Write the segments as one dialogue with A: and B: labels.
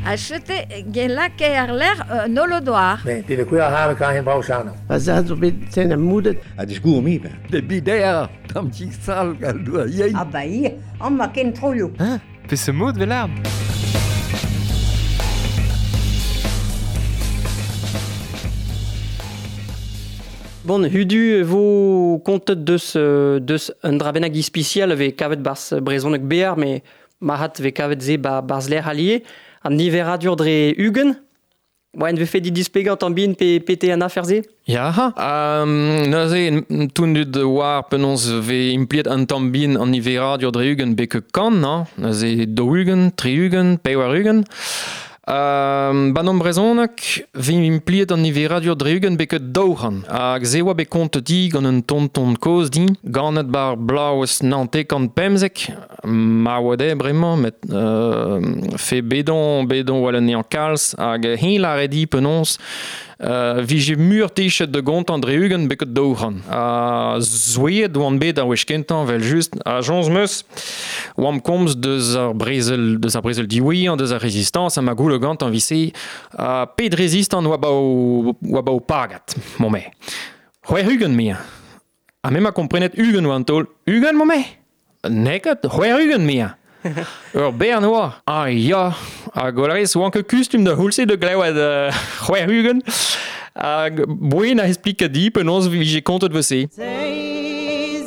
A: Ha chete gen lakae ar lec'h un holodoar.
B: Mais te de kuer have kan hen brau chano.
C: Va zad zo bet sen a moudet.
D: Ha disgour mi ben.
E: De bider, tamm ti sal gal doa yein.
F: Ah ba ir, amma ken troioù.
G: Hein Fais ce mot de velar.
H: Bon, hudu vo kontet deus, deus un dra bennak ispisial ve kavet barz brezhoneg bear, me mahat ve kavet ze ba barz lec'h allié. An niveradur dre ugen. Oa en vefe dit displegañ an bin pe pete an afer se?
I: Ya, um, neuze toundud war penaos ve impliet an tamm bin an niveradur dre ugen beke kan, hein? Neuze daou-ugent, tri-ugent, pevar-ugent. Um, ban an brezhoneg vin impliet an niveradur dre ugent beket daou-c'hant. Hag se oa bet kontet di gant un tonton kozh din, ganet bar blaouez nantekant pemzek, ma oa dezhe bremañ, met euh, fe bedon, bedon oa anezhañ kalz, hag heñ lâret di penaos euh, vije mur techet da gontañ dre ugent beket daou-c'hant. Ha zoueet oan bet ar wech kentañ, vel just, ha soñj 'm eus, oamp komz deus ar brezel, deus ar brezel diwezhañ, deus ar rezistañs, ha ma goullo gantañ 'vit-se, ha pet rezistant oa ba o, oa ba o pagad, mo-me. 60 mea. Ha me 'ma komprenet 20 oa an taol. 20 mo-me? N'eo ket, 60 mea. Ur bern oa. Ah ya, hag o lârez oan ket kustum da c'houlz-se da glevet euh, 60. Hag boen a explika di penaos vije kontet vese.
J: Seiz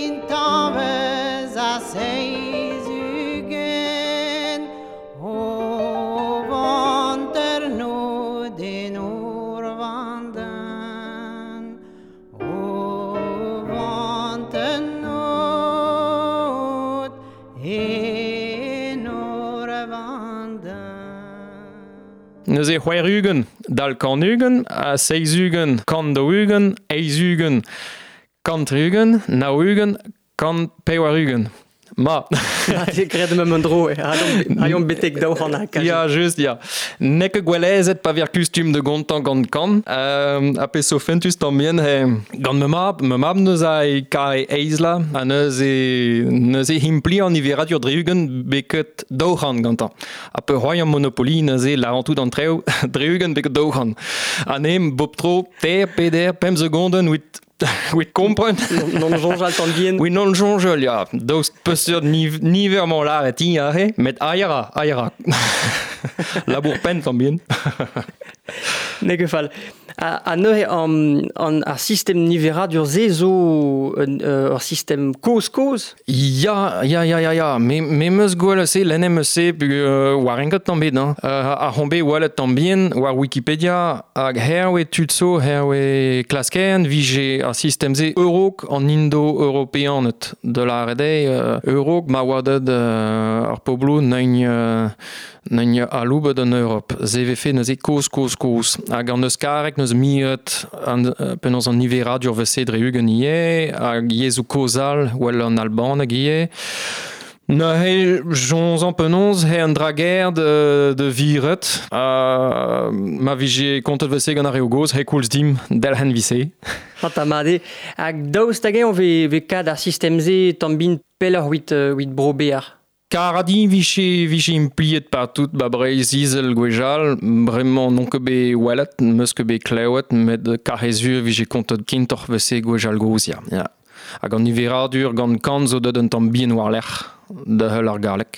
J: intañvez ha seiz ugent o vanterno den ur vandenn o vanternot en ur vandenn.
I: Neuze 60 dal 120 ha 70 140 80 130 90 180. Ma.
H: Te graet meum un dro, ha betek 200 ha kazi.
I: Ya, just, ya. N'eo ket gwellezet pa ver kustum da gontañ gant kan. Euh, ha pezh zo fentus tamm bihan, he, gant ma mab, ma mab neuze a e kare eizla, ha neuze, neuze impliñ an niveradur dre ugent beket 200 gantañ. Ha peurc'hoariañ Monopoly neuze lârañ tout an traoù dre ugent beket 200. Ha ne bop tro ter, peder, pemp segondenn 'wit 'wit kompren.
H: Non soñjal tamm bihan.
I: Oui, non soñjal, ya. Daoust peseurt niver 'mañ lâret hi aze, met aï a ra, aï a ra. Labour penn tamm bihan.
H: N'eo ket fall. Ha neuze an, ar sistem niveradur-se zo un, ur sistem kozh-kozh?
I: Ya, ya, ya, ya, ya. Me, me 'meus gwelet se, lennet 'meus se, euh, war enket tamm bet, hein. Euh, ar c'hon bet welet tamm bihan war Wikipedia hag herve tud zo, herve klaskerien vije ar sistem-se eurok an indo-europeaned da lâret eo euh, eurok ma oa deuet euh, ar pobloù n'eugn euh, n'eugn aloubet an Europ. Se vefe neuze kozh, kozh, kozh. Hag an euskareg neus miret an, penaos an niveradur vese dre ugent ivez, hag yezhoù kozh all, well an albaneg ivez. Neuze, soñjañ penaos he an dra gaer de, de viret. Ha ma vije kontet vese gant ar reoù gozh, he koulz dimp delc'hen vise.
H: Mat mat eo. Hag daoust hag-eñ ve, ve kad ar sistem-se tamm bin pelloc'h 'wit, 'wit bro Bear?
I: Karadiñ vije, vije impliet partout ba Breizh-Izel gwechall. Bremañ n'on ket bet welet, 'meus ket bet klevet, met karrezur vije kontet kentoc'h 'vese gwechall gozh, ya. ya. Hag an niveradur gant kant zo deuet un tamm bihan war-lerc'h da heul ar galleg.